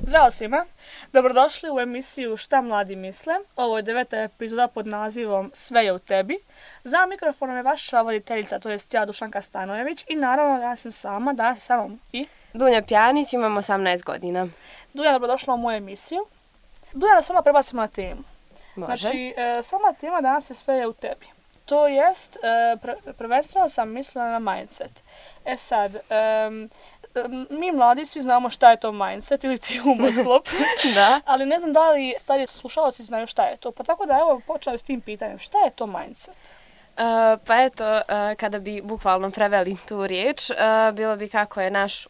Zdravo svima, dobrodošli u emisiju Šta mladi misle. Ovo je 9. epizoda pod nazivom Sve je u tebi. Za mikrofonom je vaša voditeljica, to jest ja, Dušanka Stanojević, i naravno danas sam sama, danas je sa mnom i Dunja Pjanić, imam 18 godina. Dunja, dobrodošla u moju emisiju. Dunja, da sama prebacimo na temu. Može. Znači, sama tema danas je Sve je u tebi. To jest, prvenstveno sam mislila na mindset. Sad, mi mladi svi znamo šta je to mindset ili ti umosklop, Da. ali ne znam da li stariji slušalci znaju šta je to. Pa tako da evo počeli s tim pitanjem, šta je to mindset? Pa eto, kada bi bukvalno preveli tu riječ, bilo bi kako je naš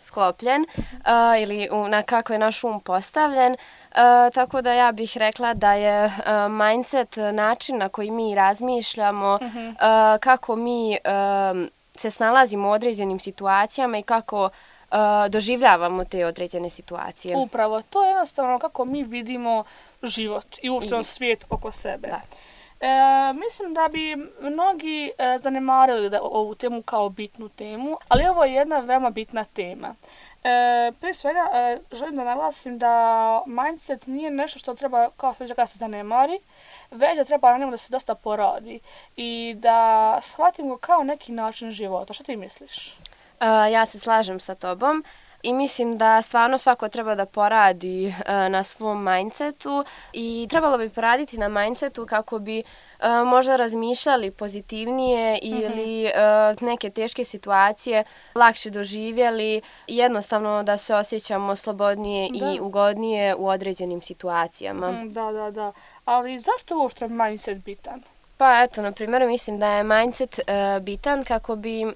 sklopljen ili na kako je naš postavljen. Tako da ja bih rekla da je mindset način na koji mi razmišljamo, kako mi se snalazimo u određenim situacijama i kako doživljavamo te određene situacije. Upravo, to je jednostavno kako mi vidimo život i uopšte svijet oko sebe. Da. Mislim da bi mnogi zanemarili ovu temu kao bitnu temu, ali ovo je jedna veoma bitna tema. Prije svega želim da naglasim da mindset nije nešto što treba kao što se zanemari, već da treba na njemu da se dosta poradi i da shvatimo kao neki način života. Što ti misliš? Ja se slažem sa tobom i mislim da stvarno svako treba da poradi na svom mindsetu i trebalo bi poraditi na mindsetu kako bi možda razmišljali pozitivnije ili neke teške situacije lakše doživjeli i jednostavno da se osjećamo slobodnije i ugodnije u određenim situacijama. Da. Ali zašto uopšte mindset bitan? Pa eto, na primjer, mislim da je mindset bitan kako bi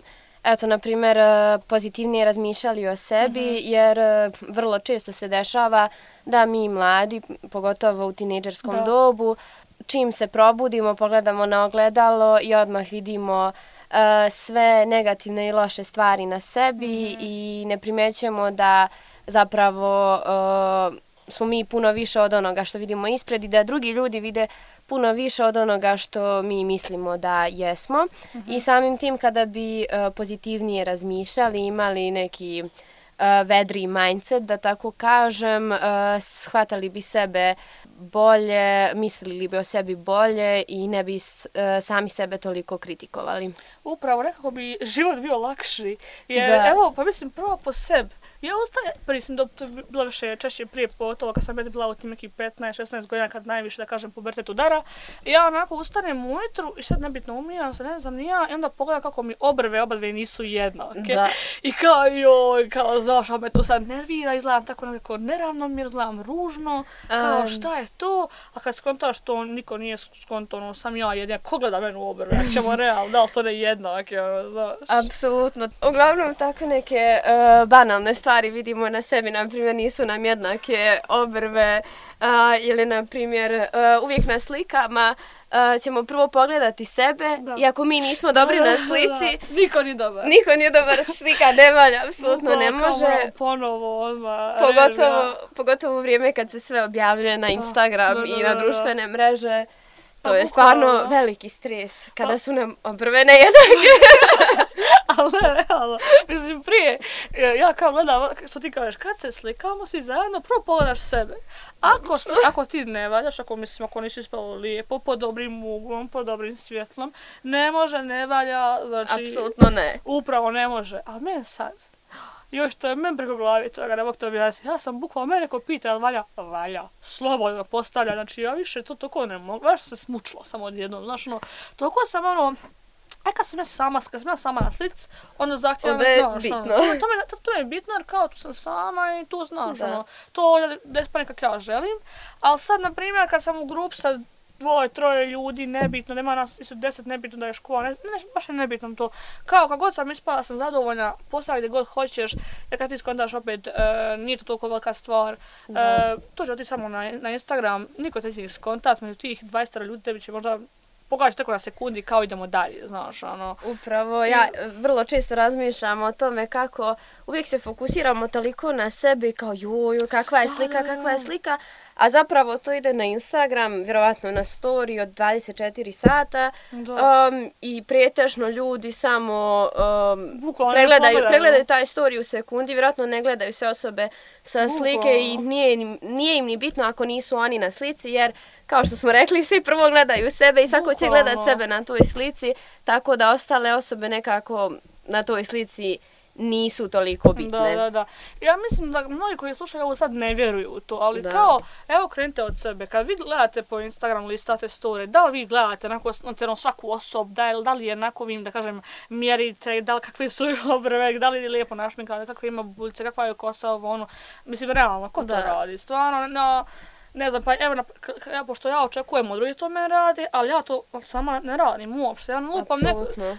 na primjer, pozitivnije razmišljali o sebi, jer vrlo često se dešava da mi mladi, pogotovo u tinejdžerskom dobu, čim se probudimo, pogledamo na ogledalo i odmah vidimo sve negativne i loše stvari na sebi i ne primjećujemo da zapravo smo mi puno više od onoga što vidimo ispred i da drugi ljudi vide puno više od onoga što mi mislimo da jesmo. I samim tim kada bi pozitivnije razmišljali, imali neki vedri mindset, da tako kažem, shvatali bi sebe bolje, mislili bi o sebi bolje i ne bi sami sebe toliko kritikovali. Upravo, nekako bi život bio lakši. Jer, evo, pa mislim, prvo po sebi. Ja prvi sam bilo više češće prije pogotovo kad sam bila u tim nekih 15-16 godina kad najviše, da kažem, pubertet udara. Ja onako ustanem ujutru i sad nebitno umijem se, ne znam ni ja, i onda pogledam kako mi obadve nisu jednake. Da. I kao znaš, me to sad nervira, izgledam tako nekako neravnomjerno, izgledam ružno, kao šta je to? A kad skontaš to niko nije skontano, sam ja jedina, ko gleda mene u obrve, ako ćemo realno, da li su one jednake, znaš. Apsolutno. Uglavnom tako neke banalne stvari vidimo na sebi, na primjer nisu nam jednake obrve ili na primjer uvijek na slikama ćemo prvo pogledati sebe i ako mi nismo dobri na slici, niko nije dobar, slika ne valja, apsolutno ne može. Ponovo odmah. Pogotovo u vrijeme kad se sve objavljuje na Instagram i na društvene mreže. To je stvarno veliki stres kada su nam obrve nejednake. Ali ne, realno. Mislim, prije, ja kao gledam, što ti kažeš, kad se slikamo svi zajedno, prvo pogledaš sebe. Ako ti ne valjaš, ako nisi ispalo lijepo, pod dobrim uglom, pod dobrim svjetlom, ne može, ne valja, znači... Apsolutno ne. Upravo ne može. Ali meni sad, još to je meni preko glavi toga, ne mogu to objasniti. Ja sam bukvalno, mene neko pita, jel valja? Valja. Slobodno postavlja, znači ja više to toliko ne mogu. Baš se smučilo samo odjednom, znači toliko sam kad sam ja sama na slici, onda zahtijevam, znaš, to je bitno jer kao tu sam sama i tu znaš, to je bez panika kako ja želim, ali sad, na primjer, kad sam u grupi sa 2-3 ljudi, nebitno, nema nas, su 10, nebitno da je škola, baš je nebitno to. Kao kad god sam ispala, sam zadovoljna, postavi gdje god hoćeš, jer kad ti skontaš opet, nije to toliko velika stvar. To će ti samo na Instagram, niko te će skontat, među tih 20 ljudi tebi će možda pogađati tako na sekundi kao idemo dalje, znaš, Upravo, ja vrlo često razmišljam o tome kako uvijek se fokusiramo toliko na sebe kao joj, kakva je slika, a zapravo to ide na Instagram, vjerovatno na story od 24 sata i pretežno ljudi samo pregledaju taj story u sekundi, vjerojatno ne gledaju sve osobe sa slike i nije im ni bitno ako nisu oni na slici, jer kao što smo rekli, svi prvo gledaju sebe i svako će gledat sebe na toj slici, tako da ostale osobe nekako na toj slici nisu toliko bitne. Da. Ja mislim da mnogi koji slušaju ovo sad ne vjeruju u to, ali kao, evo krenite od sebe. Kad vi gledate po Instagramu, listate story, da li vi gledate svaku osobu, da li je onako vi, da kažem, mjerite, da li kakve su obrve, da li je lijepo našminkane, kakve ima buljce, kakva je kosa, ono. Mislim, realno, ko to radi? Stvarno, ne znam, pa evo, pošto ja očekujem od drugih to me rade, ali ja to sama ne radim uopšte. Ja lupam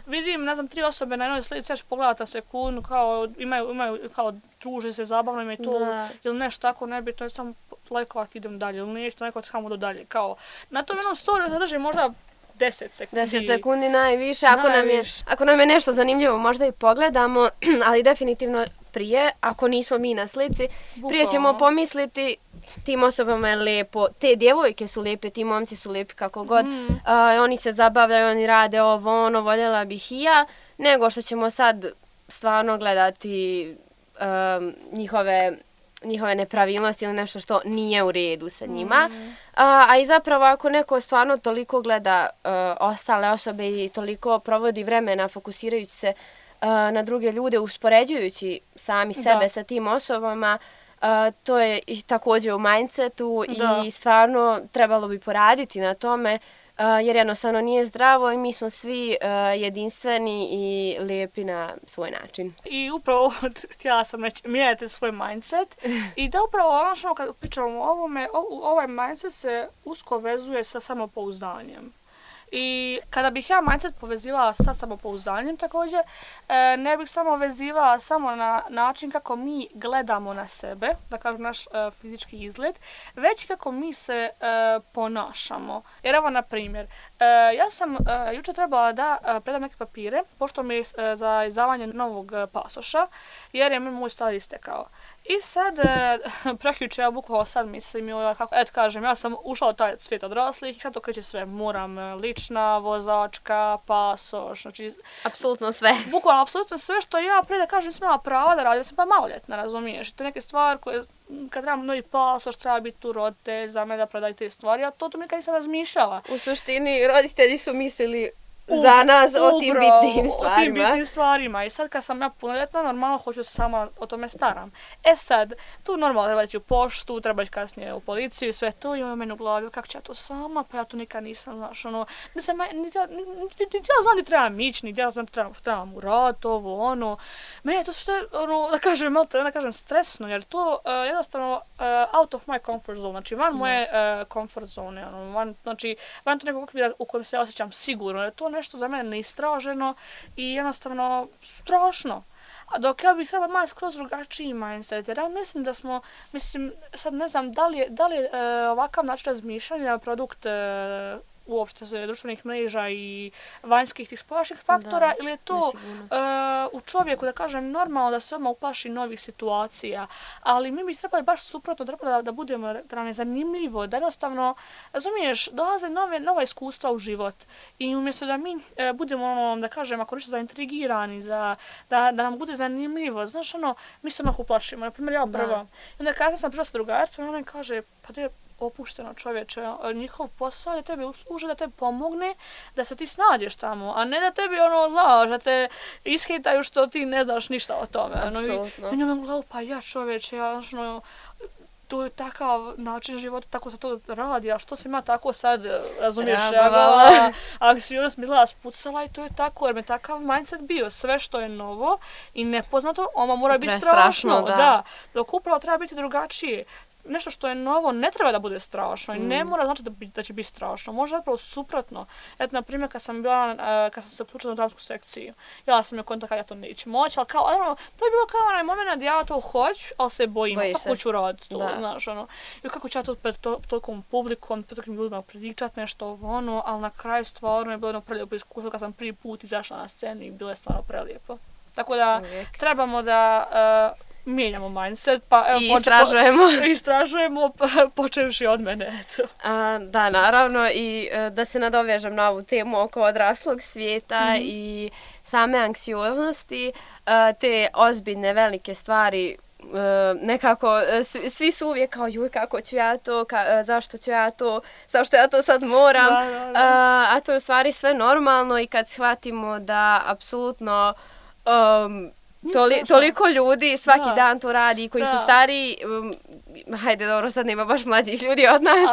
vidim, ne znam, 3 osobe na jednoj slici, ja ću pogledati na sekundu, kao imaju, kao druže se, zabavno im je to, ili nešto tako nebitno, ja sam lajkovati, idem dalje, ili nešto, neko samo do dalje, kao, na tom jednom storiju se drži možda 10 sekundi. 10 sekundi najviše, ako nam je nešto zanimljivo možda i pogledamo, ali definitivno prije, ako nismo mi na slici, prije ćemo pomisliti tim osobama je lijepo, te djevojke su lijepe, ti momci su lijepi kako god, oni se zabavljaju, oni rade ovo, ono, voljela bih i ja, nego što ćemo sad stvarno gledati njihove nepravilnosti ili nešto što nije u redu sa njima. A i zapravo ako neko stvarno toliko gleda ostale osobe i toliko provodi vremena fokusirajući se na druge ljude, uspoređujući sami sebe sa tim osobama, to je također u mindsetu i stvarno trebalo bi poraditi na tome jer jednostavno nije zdravo i mi smo svi jedinstveni i lijepi na svoj način. I upravo htjela sam reći, mijenjajte svoj mindset i da upravo ono kad pričamo o ovome, ovaj mindset se usko vezuje sa samopouzdanjem. I kada bih ja mindset povezivala sa samopouzdanjem također, ne bih samo vezivala samo na način kako mi gledamo na sebe, da kažem naš fizički izgled, već kako mi se ponašamo. Jer evo na primjer, ja sam jučer trebala da predam neke papire, pošto mi je za izdavanje novog pasoša, jer je moj stari istekao. I sad, prekjuče, ja bukvalno sad mislim, kažem, ja sam ušla u taj svijet odraslih i sad to kreće sve. Moram lična, vozačka, pasoš, znači... Apsolutno sve. Bukvalno, apsolutno sve što ja prije da kažem sam imala prava da radim, sam pa maloljetna, razumiješ? To je neke stvari koje, kad trebam novi pasoš, treba biti tu roditelj za me da predaju te stvari, a to nikad nisam razmišljala. U suštini, roditelji su mislili za nas o tim bitnim stvarima. O tim bitnim stvarima. I sad kad sam ja punoljetna, normalno hoću se sama o tome staram. E sad, tu normalno treba ići u poštu, treba ići kasnije u policiju i sve to. I ono meni u glavi, kako ću ja to sama, pa ja to nikad nisam, znaš, ono, niti ja znam gdje trebam ići, niti ja znam gdje trebam uraditi, ovo, ono. Meni je to sve, ono, da kažem, stresno, jer to jednostavno out of my comfort zone, znači van moje comfort zone, ono, van to nekog okvira u kojem se ja osjećam sigurno, jer to nešto za mene neistraženo i jednostavno strašno. A dok ja bih trebala malo skroz drugačiji mindset, jer ja mislim da smo, sad ne znam da li je ovakav način razmišljanja produkt uopšte društvenih mreža i vanjskih tih spolačnih faktora, ili je to u čovjeku, da kažem, normalno da se odmah uplaši novih situacija, ali mi bi trebali baš suprotno, da budemo, da nam je zanimljivo, da jednostavno, razumiješ, dolaze nova iskustva u život i umjesto da mi budemo, da kažem, ako nešto zaintrigirani, da nam bude zanimljivo, znaš, mi se odmah uplašimo, na primjer, ja prva. I onda kada sam prišla sa drugaricom, ona mi kaže, pa to je opušteno čovječe, njihov posao je da tebi usluže, da tebi pomogne, da se ti snađeš tamo, a ne da tebi znaš, da te ishitaju što ti ne znaš ništa o tome. Apsolutno. I njom glavu, pa ja čovječe, to je takav način života, tako se to radi, a što se ima tako sad, razumiješ, anksioznost mi gleda spucala i to je tako, jer me takav mindset bio, sve što je novo i nepoznato, ono mora biti strašno, da, dok upravo treba biti drugačije. Nešto što je novo ne treba da bude strašno i ne mora znači da će biti strašno, može zapravo suprotno. Eto, na primjer, kad sam se uključila na dramsku sekciju, ja sam je konta kad ja to neću moći, ali kao, to je bilo kao onaj moment da ja to hoću, ali se bojim, kako ću raditi to, znaš, i kako ću ja to pred tolikom publikom, pred tolikim ljudima pričati nešto, ali na kraju stvarno je bilo jedno prelijepo iskustvo kad sam prvi put izašla na scenu i bilo je stvarno prelijepo. Tako da trebamo da mijenjamo mindset, pa evo istražujemo počevši od mene. Da, naravno, i da se nadovežem na ovu temu oko odraslog svijeta i same anksioznosti, te ozbiljne velike stvari nekako svi su uvijek kao joj kako ću ja to, zašto ja to sad moram, a to je u stvari sve normalno i kad shvatimo da apsolutno toliko ljudi svaki dan to radi koji su stariji, hajde dobro sad nema baš mlađih ljudi od nas,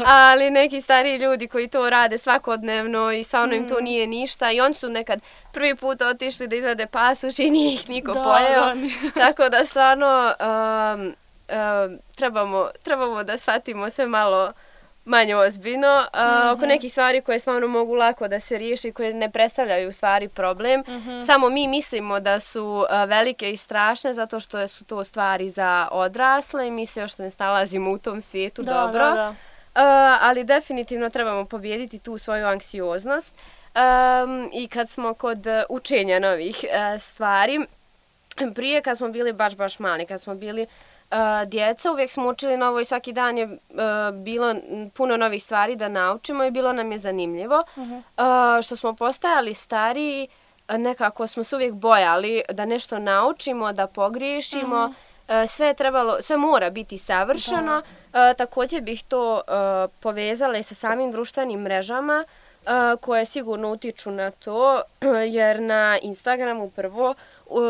ali neki stariji ljudi koji to rade svakodnevno i stvarno im to nije ništa i oni su nekad prvi put otišli da izvade pasoš i nije ih niko pojeo, tako da stvarno trebamo da shvatimo sve malo manje ozbiljno, oko nekih stvari koje stvarno mogu lako da se riješi, koje ne predstavljaju u stvari problem. Samo mi mislimo da su velike i strašne zato što su to stvari za odrasle i mi se još ne snalazimo u tom svijetu dobro. Ali definitivno trebamo pobijediti tu svoju anksioznost. I kad smo kod učenja novih stvari, prije kad smo bili baš mali, kad smo bili djeca, uvijek smo učili novo i svaki dan je bilo puno novih stvari da naučimo i bilo nam je zanimljivo. Što smo postajali stariji, nekako smo se uvijek bojali da nešto naučimo, da pogriješimo. Sve mora biti savršeno. Također bih to povezala i sa samim društvenim mrežama koje sigurno utiču na to, jer na Instagramu prvo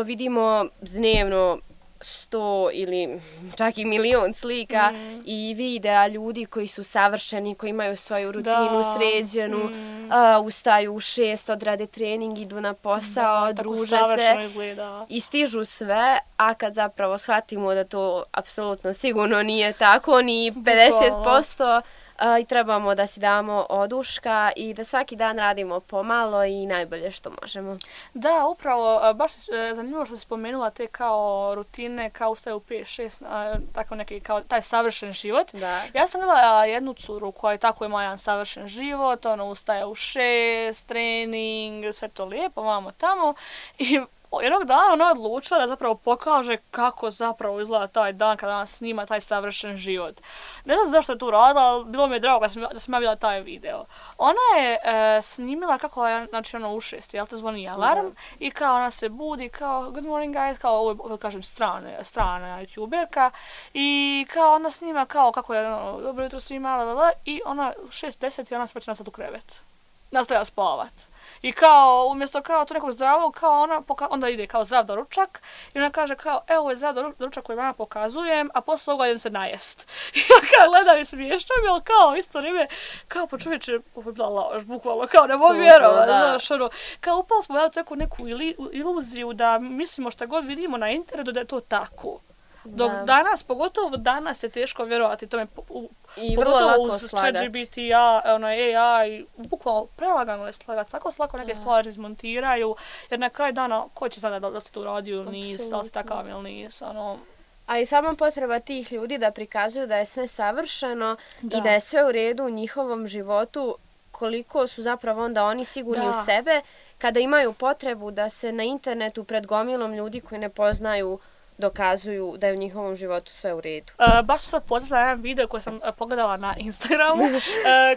vidimo dnevno 100 ili čak i milion slika i videa ljudi koji su savršeni, koji imaju svoju rutinu sređenu, ustaju u 6, odrade trening, idu na posao, druže se i stižu sve, a kad zapravo shvatimo da to apsolutno sigurno nije tako, ni 50%, i trebamo da si damo oduška i da svaki dan radimo pomalo i najbolje što možemo. Da, upravo, baš zanimljivo što si spomenula te kao rutine, kao ustaje u 5-6, tako neki kao taj savršen život. Da. Ja sam imala jednu curu koja je tako ima jedan savršen život, ona ustaje u 6, trening, sve to lijepo, vamo tamo i jednog dana ona odlučila da zapravo pokaže kako zapravo izgleda taj dan kada ona snima taj savršen život. Ne znam zašto je to radila, ali bilo mi je drago da sam ja vidjela taj video. Ona je snimila kako je, znači ono u 6, jel te zvoni alarm i kao ona se budi kao good morning guys, kao ovo kažem strana youtuberka i kao ona snima kao kako je ono, dobro jutro svima, i ona u 6:10 i ona se počne nasad u krevet. Nastavlja spavat. I kao, umjesto kao to nekog zdravog, kao ona onda ide kao zdrav doručak i ona kaže kao, evo ovo je zdrav doručak koji vam pokazujem, a posle toga idem se najest. I ja kao gledam i smiješam, ali kao isto vrijeme, kao po čovječe, ovo je bila laž, bukvalno, kao ne mogu vjerovati, znaš, ono, kao upali smo u neku iluziju da mislimo šta god vidimo na internetu da je to tako. Dok danas, pogotovo danas je teško vjerovati tome, i vrlo lako uz ChatGPT, AI, bukvalno prelagano je slagati, tako slako neke stvari izmontiraju, jer na kraju dana, ko će sada da si to uradio ili nis, da li si takav ili nis, ono. A i sama potreba tih ljudi da prikazuju da je sve savršeno i da je sve u redu u njihovom životu, koliko su zapravo onda oni sigurni u sebe, kada imaju potrebu da se na internetu pred gomilom ljudi koji ne poznaju dokazuju da je u njihovom životu sve u redu. Baš sam sad podsjetila jedan video koji sam pogledala na Instagramu.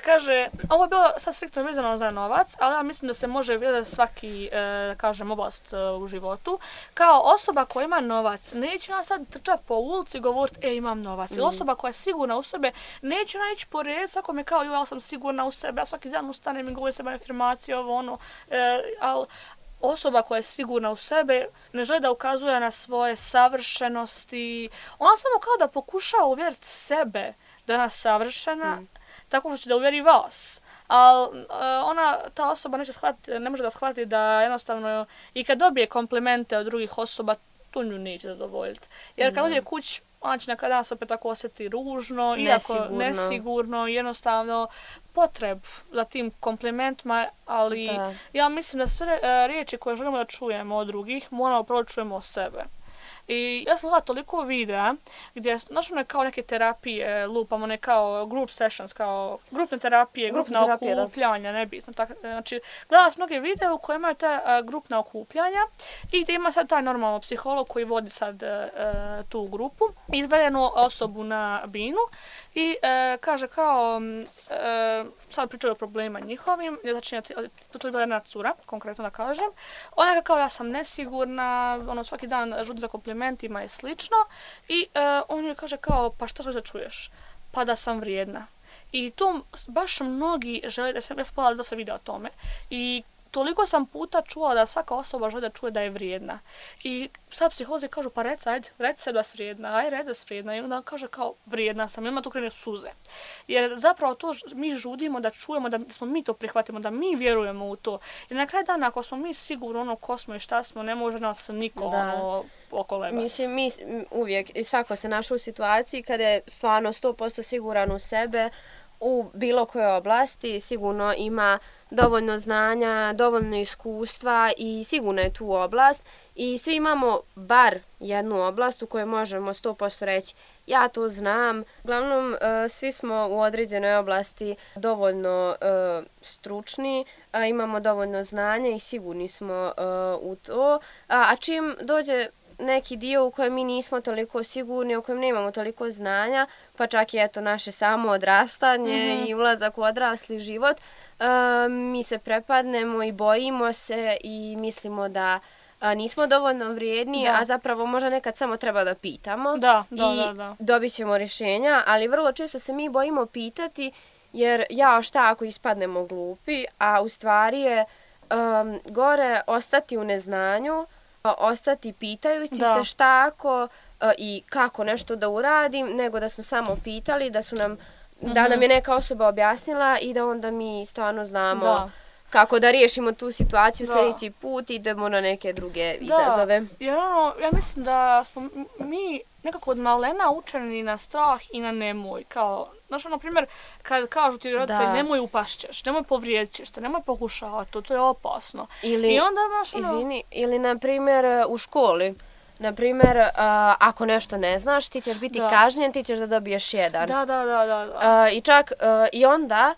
Kaže, ovo je bilo sad striktno vezano za novac, ali ja mislim da se može vidjeti svaki, kažem, oblast u životu. Kao osoba koja ima novac, neće ja sad trčati po ulici i govoriti, imam novac. Ili osoba koja je sigurna u sebe, neće ona ići po red, svakome kao, ja sam sigurna u sebe, ja svaki dan ustanem i govorim sebe afirmacije, ovo ono, ali osoba koja je sigurna u sebe ne želi da ukazuje na svoje savršenosti. Ona samo kao da pokušava uvjeriti sebe da je ona savršena, tako što će da uvjeri vas. Ali ta osoba ne može da shvati da jednostavno i kad dobije komplimente od drugih osoba, tu nju neće zadovoljiti. Jer kad dođe kući, ona će nekada se opet tako osjeti ružno, nesigurno, jednostavno potreb za tim komplimentima, ali ja mislim da sve riječi koje želimo da čujemo od drugih, moramo prvo čujemo o sebe. I ja sam gledala toliko videa gdje našli kao neke terapije, lupamo ne kao group sessions, kao grupne terapije, grupna okupljanja, nebitno. Znači, gledala sam mnoge videa u kojima je ta grupna okupljanja i gdje ima sad taj normalno psiholog koji vodi sad tu grupu, izvedenu osobu na binu i kaže kao, sad pričaju o problema njihovim, znači to je bila jedna cura, konkretno da kažem, ona kao ja sam nesigurna, ono svaki dan žudi za komplimente, komplimentima i slično. I on joj kaže kao, pa što želiš da čuješ? Pa da sam vrijedna. I to baš mnogi žele, ja sam pogledala dosta videa o tome. I toliko sam puta čula da svaka osoba želi da čuje da je vrijedna. I sad psiholozi kažu, pa reci se da si vrijedna, reci da si vrijedna. I onda kaže kao, vrijedna sam, i onda tu krene suze. Jer zapravo to mi žudimo da čujemo, da smo mi to prihvatimo, da mi vjerujemo u to. Jer na kraju dana, ako smo mi sigurno ko smo i šta smo, ne može nas niko okolebati. Mislim, mi uvijek, i svako se našao u situaciji kada je stvarno 100% siguran u sebe, u bilo kojoj oblasti, sigurno ima dovoljno znanja, dovoljno iskustva i sigurno je tu oblast i svi imamo bar jednu oblast u kojoj možemo 100% reći ja to znam. Uglavnom, svi smo u određenoj oblasti dovoljno stručni, imamo dovoljno znanja i sigurni smo u to. A čim dođe neki dio u kojem mi nismo toliko sigurni, u kojem nemamo toliko znanja, pa čak i eto naše samo odrastanje i ulazak u odrasli život, mi se prepadnemo i bojimo se i mislimo da nismo dovoljno vrijedni, a zapravo možda nekad samo treba da pitamo i dobit ćemo rješenja, ali vrlo često se mi bojimo pitati jer šta ako ispadnemo glupi, a u stvari je gore ostati u neznanju, ostati pitajući se šta ako i kako nešto da uradim, nego da smo samo pitali, da nam je neka osoba objasnila i da onda mi stvarno znamo kako da riješimo tu situaciju sljedeći put i idemo na neke druge izazove. Jer ja mislim da smo mi nekako od malena učeni na strah i na nemoj. Kao, znaš, na primjer, kad kažu ti roditelji nemoj upašćeš, nemoj povrijedit ćeš te, nemoj pokušavati to je opasno. I onda, izvini, ili na primjer u školi. Na primjer, ako nešto ne znaš, ti ćeš biti kažnjen, ti ćeš da dobiješ 1. I čak i onda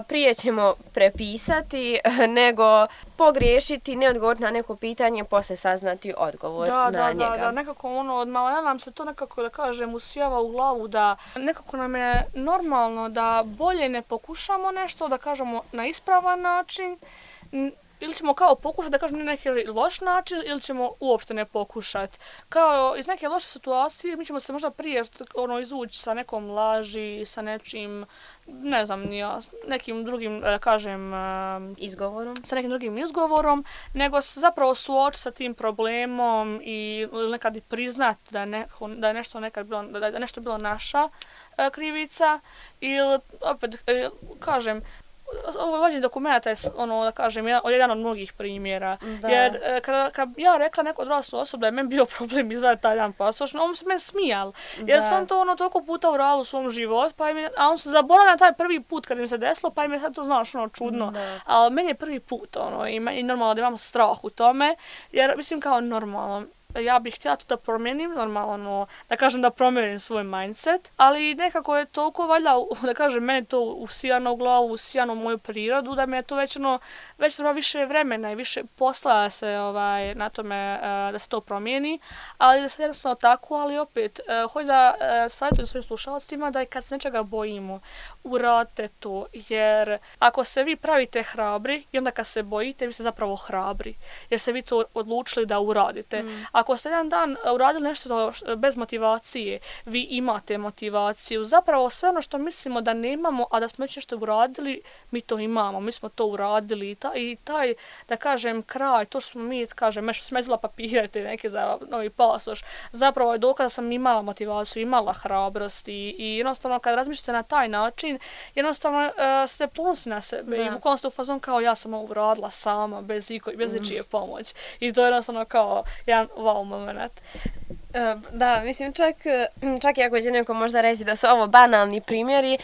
prije ćemo prepisati nego pogriješiti, ne odgovoriti na neko pitanje, poslije saznati odgovor na njega. Da, nekako od malena nam se to nekako, da kažem, usijava u glavu da nekako nam je normalno da bolje ne pokušamo nešto, da kažemo na ispravan način, ili ćemo kao pokušati da kažem na neki loš način ili ćemo uopšte ne pokušati. Kao iz neke loše situacije mi ćemo se možda prije izvući sa nekom laži, sa nečim, ne znam, nekim drugim, da kažem, izgovorom. Sa nekim drugim izgovorom, nego se zapravo suočiti sa tim problemom i nekad i priznati da je nešto nekad bilo, da je nešto bilo naša krivica ili opet kažem, ovo vođenje dokumenta je da kažem, jedan od mnogih primjera. Jer kad ja rekla neko odraslu osobu da je meni bio problem izvaditi taj jedan pasoš, on se meni smijal. Jer sam to toliko puta uradila u svom životu, a on se zaboravio na taj prvi put kad im se desilo, pa im je sad to znaš čudno. Ali meni je prvi put i normalno da imam strah u tome, jer mislim kao normalno. Ja bih htjela to da promijenim, normalno, da kažem da promijenim svoj mindset, ali nekako je toliko valjda, da kažem, meni to usijano u glavu, usijano u moju prirodu, da mi je to već treba više vremena i više posla da se na tome, da se to promijeni, ali da se jednostavno tako, ali opet, hoću da savjetujem svojim slušalcima da kad se nečega bojimo, uradite to, jer ako se vi pravite hrabri i onda kad se bojite, vi ste zapravo hrabri, jer se vi to odlučili da uradite. Ako ste jedan dan uradili nešto bez motivacije, vi imate motivaciju. Zapravo sve ono što mislimo da nemamo, a da smo već nešto uradili, mi to imamo. Mi smo to uradili i taj, da kažem, kraj, to što smo mi, kažem, smezila papire te neke za novi pasoš, zapravo je dokaz da sam imala motivaciju, imala hrabrost i jednostavno kad razmišljate na taj način, jednostavno ste ponosni na sebe i bukvalno ste u fazon kao ja sam ovo uradila sama, bez ičije pomoć. I to je jednostavno kao jedan wow moment. Da, mislim čak i ako će neko možda reći da su ovo banalni primjeri,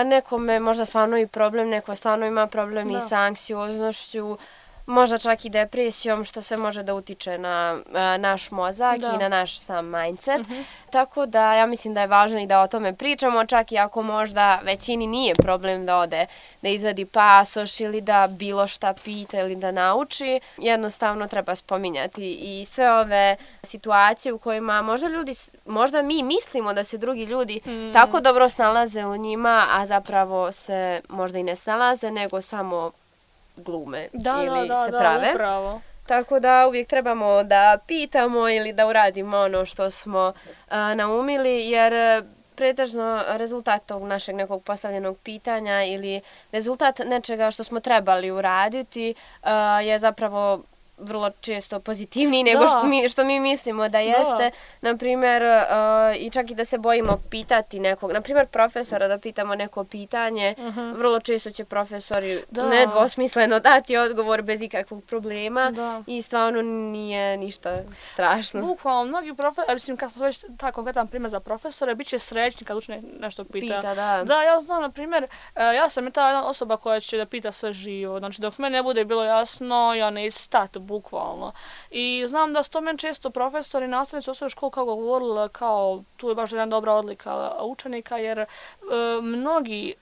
nekome možda stvarno i problem, neko stvarno ima problem i sa anksioznošću, možda čak i depresijom, što sve može da utiče na naš mozak i na naš sam mindset. Tako da ja mislim da je važno i da o tome pričamo, čak i ako možda većini nije problem da ode, da izvadi pasoš ili da bilo šta pita ili da nauči. Jednostavno treba spominjati i sve ove situacije u kojima možda mi mislimo da se drugi ljudi tako dobro snalaze u njima, a zapravo se možda i ne snalaze, nego samo glume ili se prave. Upravo. Tako da uvijek trebamo da pitamo ili da uradimo ono što smo naumili, jer pretežno rezultat tog našeg nekog postavljenog pitanja ili rezultat nečega što smo trebali uraditi je zapravo vrlo često pozitivniji nego što mi mislimo da jeste. Naprimjer, i čak i da se bojimo pitati nekog, naprimjer profesora da pitamo neko pitanje, vrlo često će profesori nedvosmisleno dati odgovor bez ikakvog problema i stvarno nije ništa strašno. Bukvalno, mnogi profesori, mislim, kad smo već taj konkretan primjer za profesore, bit će srećni kad učenik nešto pita. Da, ja znam, na primjer, ja sam ta jedna osoba koja će da pita sve živo. Znači, dok meni ne bude bilo jasno, ja ne stati, bukvalno. I znam da su to meni često profesori i nastavnici u osnovnoj školi kao govorili, kao tu je baš jedna dobra odlika učenika, jer mnogi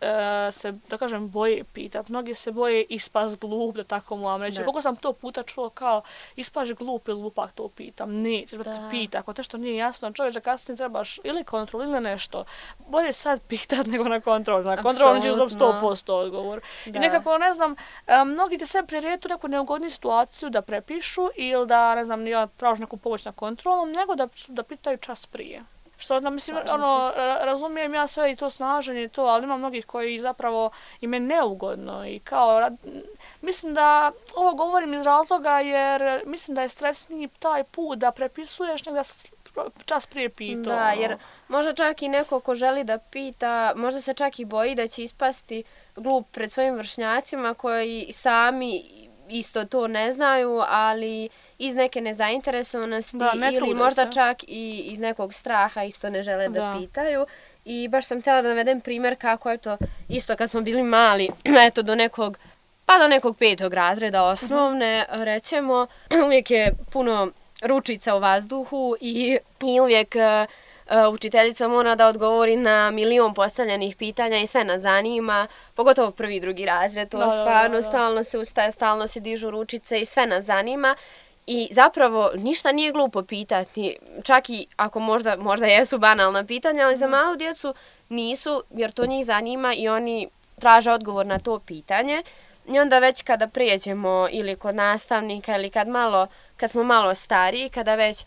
se, da kažem, boje pitati. Mnogi se boje ispast glup, da tako moram reći. Koliko sam to puta čuo kao ispaš glup ili glupak to pitam. Nećeš da te pita, ako te što nije jasno, čovječe kasnije trebaš ili kontrol ili nešto. Bolje sad pitat nego na kontrol. Na kontrol ćeš dobiti 100% odgovor. I nekako, ne znam, mnogi te sve priretu neku neugodnu situaciju da prepišu ili da, ne znam, ja tražu neku pomoć na kontrolom, nego da pitaju čas prije. Što, mislim, razumijem ja sve i to snaženje i to, ali ima mnogih koji zapravo im je neugodno i kao, mislim da ovo govorim iz razloga jer mislim da je stresniji taj put da prepisuješ nego da čas prije pitao. Da, jer možda čak i neko ko želi da pita, možda se čak i boji da će ispasti glup pred svojim vršnjacima koji sami isto to ne znaju, ali iz neke nezainteresovanosti ili možda čak i iz nekog straha isto ne žele da pitaju. I baš sam htjela da navedem primjer kako je to isto kad smo bili mali, eto do nekog 5. razreda osnovne, rećemo, uvijek je puno ručica u vazduhu i uvijek učiteljica mora da odgovori na milion postavljenih pitanja i sve nas zanima, pogotovo 1. i 2. razred, to stvarno, stalno se ustaje, stalno se dižu ručice i sve nas zanima. I zapravo ništa nije glupo pitati, čak i ako možda jesu banalna pitanja, ali za malu djecu nisu, jer to njih zanima i oni traže odgovor na to pitanje. I onda već kada prijeđemo ili kod nastavnika ili kad smo malo stariji, kada već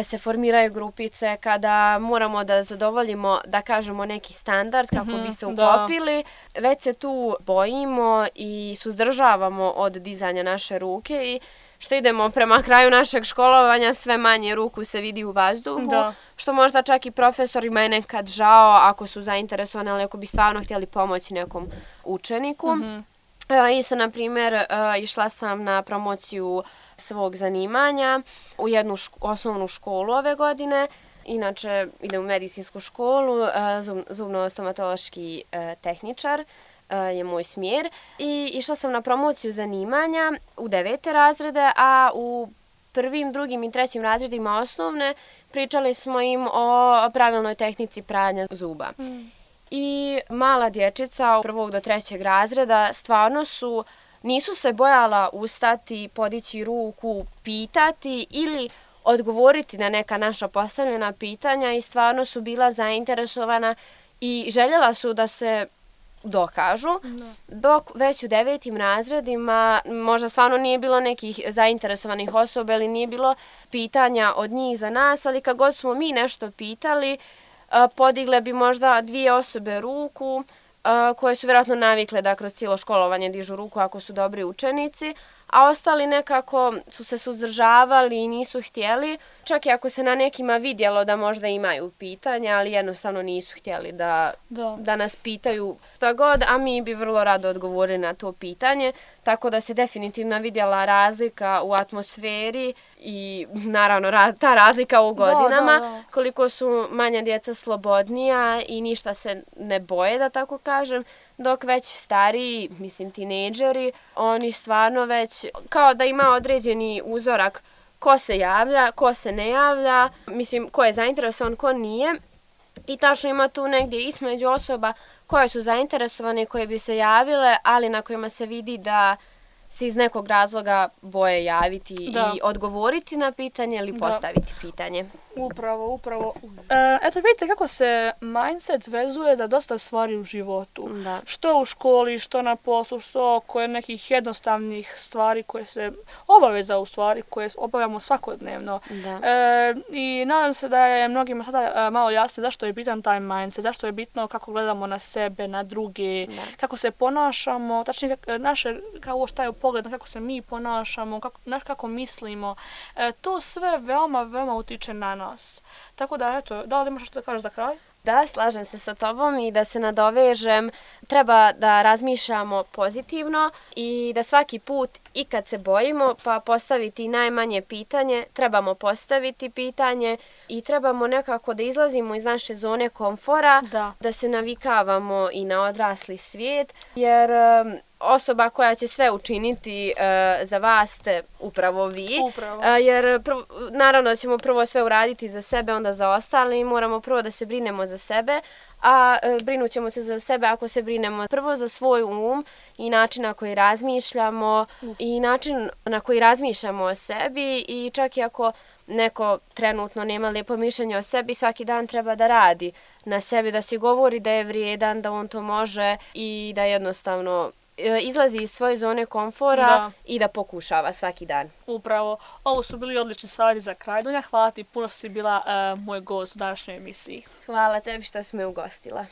se formiraju grupice, kada moramo da zadovoljimo, da kažemo, neki standard kako bi se uklopili, već se tu bojimo i suzdržavamo od dizanja naše ruke i što idemo prema kraju našeg školovanja, sve manje ruku se vidi u vazduhu, što možda čak i profesorima je nekad žao ako su zainteresovani, ali ako bi stvarno htjeli pomoći nekom učeniku. Isto, na primjer, išla sam na promociju svog zanimanja u jednu osnovnu školu ove godine. Inače, idem u medicinsku školu, zubno-stomatološki tehničar je moj smjer. I išla sam na promociju zanimanja u 9. razrede, a u 1., 2. i 3. razredima osnovne pričali smo im o pravilnoj tehnici pranja zuba. I mala dječica od 1. do 3. razreda stvarno nisu se bojala ustati, podići ruku, pitati ili odgovoriti na neka naša postavljena pitanja i stvarno su bila zainteresovana i željela su da se dokažu, dok već u 9. razredima možda stvarno nije bilo nekih zainteresovanih osoba ili nije bilo pitanja od njih za nas, ali kad god smo mi nešto pitali, podigle bi možda 2 osobe ruku, koje su vjerojatno navikle da kroz cijelo školovanje dižu ruku ako su dobri učenici, a ostali nekako su se suzdržavali i nisu htjeli, čak i ako se na nekima vidjelo da možda imaju pitanja, ali jednostavno nisu htjeli da nas pitaju šta god, a mi bi vrlo rado odgovorili na to pitanje, tako da se definitivno vidjela razlika u atmosferi i naravno ta razlika u godinama, koliko su manja djeca slobodnija i ništa se ne boje, da tako kažem, dok već stariji, mislim tinejdžeri, oni stvarno već kao da ima određeni uzorak ko se javlja, ko se ne javlja, mislim ko je zainteresovan, ko nije. I tačno ima tu negdje između osoba koje su zainteresovane, koje bi se javile, ali na kojima se vidi da se iz nekog razloga boje javiti i odgovoriti na pitanje ili postaviti pitanje. Upravo. Eto vidite kako se mindset vezuje da dosta stvari u životu. Da. Što u školi, što na poslu, što oko nekih jednostavnih stvari koje se obaveza u stvari koje obavljamo svakodnevno. Da. I nadam se da je mnogima sada malo jasno zašto je bitan taj mindset, zašto je bitno kako gledamo na sebe, na druge, kako se ponašamo, tačnije kao šta je pogled, kako se mi ponašamo, kako mislimo. To sve veoma utiče na nas. Tako da, eto, da li imaš što da kažeš za kraj? Da, slažem se sa tobom i da se nadovežem. Treba da razmišljamo pozitivno i da svaki put i kad se bojimo pa postaviti najmanje pitanje, trebamo postaviti pitanje i trebamo nekako da izlazimo iz naše zone komfora, da se navikavamo i na odrasli svijet, jer osoba koja će sve učiniti za vas ste upravo vi. Jer naravno da ćemo prvo sve uraditi za sebe, onda za ostale i moramo prvo da se brinemo za sebe, a brinut ćemo se za sebe ako se brinemo prvo za svoj um i način na koji razmišljamo i način na koji razmišljamo o sebi i čak i ako neko trenutno nema lijepo mišljenje o sebi, svaki dan treba da radi na sebi, da si govori da je vrijedan, da on to može i da jednostavno izlazi iz svoje zone komfora i da pokušava svaki dan. Upravo. Ovo su bili odlični savjeti za kraj. Dunja, hvala ti puno što si bila moj gost u današnjoj emisiji. Hvala tebi što si me ugostila.